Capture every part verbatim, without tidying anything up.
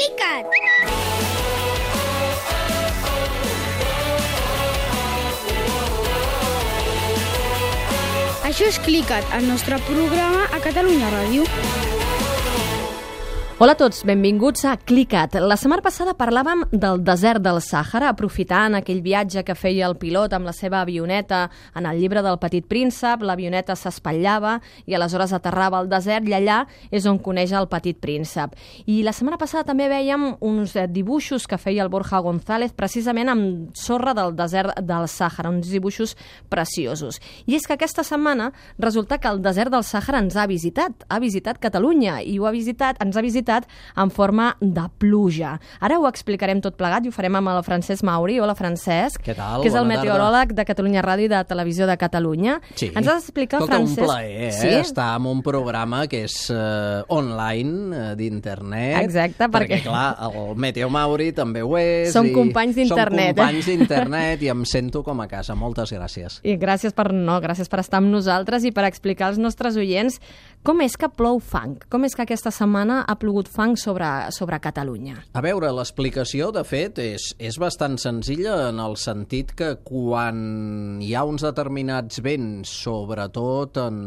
Clicat! Això és Clicat, el nostre programa a Catalunya Ràdio. Hola a tots, benvinguts a Clicat. La setmana passada parlàvem del desert del Sàhara, aprofitant aquell viatge que feia el pilot amb la seva avioneta en el llibre del Petit Príncep. L'avioneta s'espatllava i aleshores aterrava al desert i allà és on coneix el Petit Príncep. I la setmana passada també vèiem uns dibuixos que feia el Borja González precisament amb sorra del desert del Sàhara, uns dibuixos preciosos. I és que aquesta setmana resulta que el desert del Sàhara ens ha visitat, ha visitat Catalunya i ho ha visitat, ens ha visitat en forma de pluja. Ara ho explicarem tot plegat i ho farem amb el Francesc Mauri. Hola, Francesc. Què tal? Que és el Bona meteoròleg de Catalunya Ràdio i de Televisió de Catalunya. Sí. Ens has d'explicar, Tot Francesc... un plaer, eh? Sí? Estar en un programa que és uh, online, uh, d'internet. Exacte, perquè... Perquè, clar, el Meteo Mauri també ho és. Som i companys d'internet, Som companys d'internet i em sento com a casa. Moltes gràcies. I gràcies per, no, gràcies per estar amb nosaltres i per explicar als nostres oients com és que plou fang, com és que aquesta setmana ha plogut fang sobre, sobre Catalunya. A veure, l'explicació, de fet, és, és bastant senzilla en el sentit que quan hi ha uns determinats vents, sobretot en,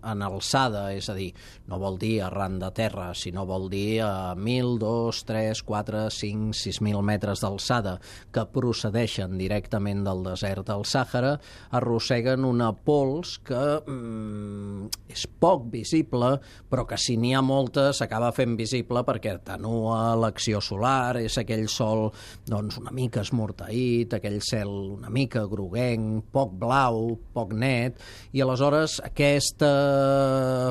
en alçada, és a dir, no vol dir arran de terra, sinó vol dir a mil, dos, tres, quatre, cinc, sis mil metres d'alçada, que procedeixen directament del desert del Sàhara, arrosseguen una pols que mm, és poc visible, però que si n'hi ha molta s'acaba fent visible perquè atenua l'acció solar, és aquell sol doncs, una mica esmorteït, aquell cel una mica groguenc, poc blau, poc net, i aleshores aquesta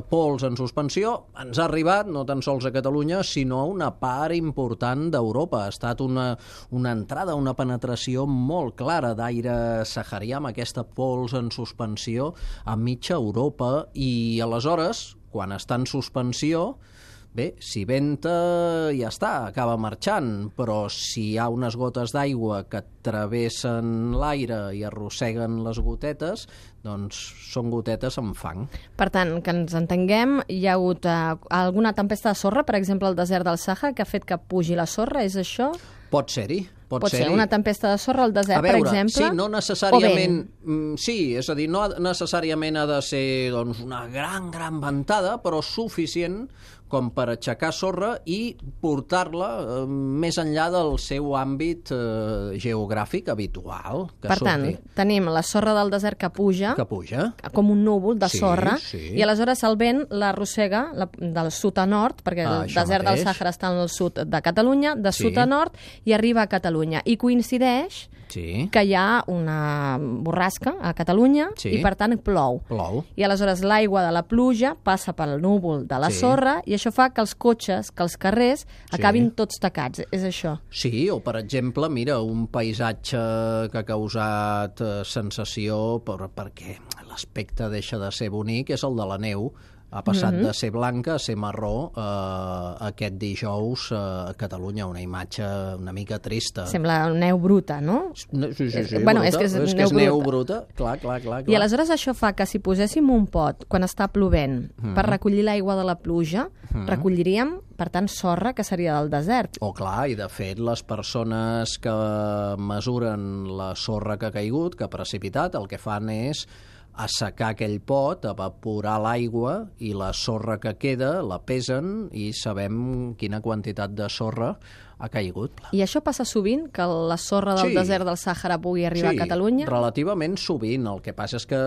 pols en suspensió ens ha arribat no tan sols a Catalunya, sinó a una part important d'Europa. Ha estat una, una entrada, una penetració molt clara d'aire saharià amb aquesta pols en suspensió a mitja Europa, i aleshores quan està en suspensió, bé, si venta ja està, acaba marxant, però si hi ha unes gotes d'aigua que travessen l'aire i arrosseguen les gotetes, doncs són gotetes amb fang. Per tant, que ens entenguem, hi ha hagut eh, alguna tempesta de sorra, per exemple, al desert del Sàhara, que ha fet que pugi la sorra, és això? Pot ser-hi. Pot, Pot ser ser una tempesta de sorra al desert, a veure, per exemple? Sí, no necessàriament... Sí, és a dir, no necessàriament ha de ser doncs, una gran, gran ventada, però suficient com per aixecar sorra i portar-la eh, més enllà del seu àmbit eh, geogràfic habitual. Que per surti. tant, tenim la sorra del desert que puja, que puja, com un núvol de sí, sorra, sí. i aleshores el vent l'arrossega la, del sud a nord, perquè ah, el desert mateix. del Sàhara està al sud de Catalunya, de sí. sud a nord, i arriba a Catalunya. I coincideix sí. que hi ha una borrasca a Catalunya sí. i, per tant, plou. Plou. I aleshores l'aigua de la pluja passa pel núvol de la sí. sorra i això fa que els cotxes, que els carrers acabin sí. tots tacats. És això? Sí, o per exemple, mira, un paisatge que ha causat eh, sensació per, perquè l'aspecte deixa de ser bonic és el de la neu. Ha passat mm-hmm. de ser blanca a ser marró eh, aquest dijous eh, a Catalunya, una imatge una mica trista. Sembla neu bruta, no? Sí, sí, sí, bueno, bruta. És que és, és, neu, que és bruta. neu bruta. Clar, clar, clar, clar. I aleshores això fa que si poséssim un pot quan està plovent mm-hmm. per recollir l'aigua de la pluja, mm-hmm. recolliríem, per tant, sorra, que seria del desert. Oh, clar, i de fet les persones que mesuren la sorra que ha caigut, que ha precipitat, el que fan és assecar aquell pot, evaporar l'aigua i la sorra que queda la pesen i sabem quina quantitat de sorra ha caigut. I això passa sovint, que la sorra del sí. desert del Sàhara pugui arribar sí, a Catalunya? Sí, relativament sovint. El que passa és que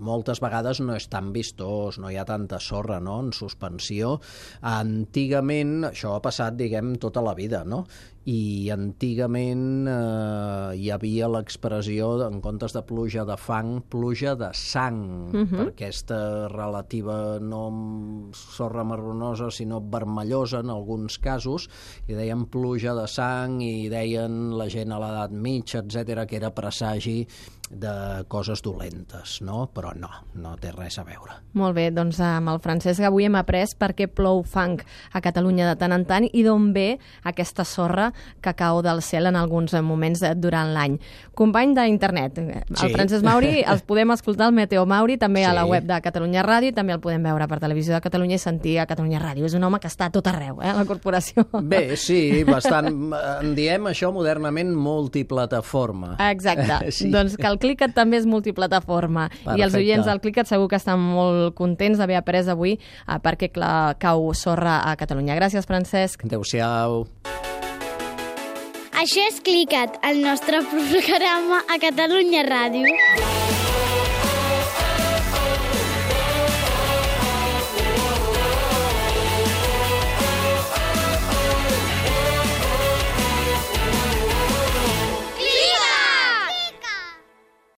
moltes vegades no és tan vistós, no hi ha tanta sorra, no?, en suspensió. Antigament, això ha passat, diguem, tota la vida, no?, i antigament eh, hi havia l'expressió, en comptes de pluja de fang, pluja de sang, uh-huh. per aquesta relativa no sorra marronosa, sinó vermellosa en alguns casos, i deien pluja de sang, i deien la gent a l'edat mitja, etcètera, que era presagi de coses dolentes, no? Però no, no té res a veure. Molt bé, doncs amb el Francesc avui hem après per què plou fang a Catalunya de tant en tant i d'on ve aquesta sorra que cau del cel en alguns moments durant l'any. Company d'internet, el Sí. Francesc Mauri, els podem escoltar al Meteo Mauri, també a la Sí. web de Catalunya Ràdio, també el podem veure per Televisió de Catalunya i sentir a Catalunya Ràdio. És un home que està a tot arreu, eh, a la corporació. Bé, sí, bastant. En diem això modernament multiplataforma. Exacte. Sí. Doncs que el Clicat també és multiplataforma. Perfecte. I els oients del Clicat segur que estan molt contents d'haver après avui eh, perquè clar, cau sorra a Catalunya. Gràcies, Francesc. Adéu-siau. Això és Clicat, el nostre programa a Catalunya Ràdio.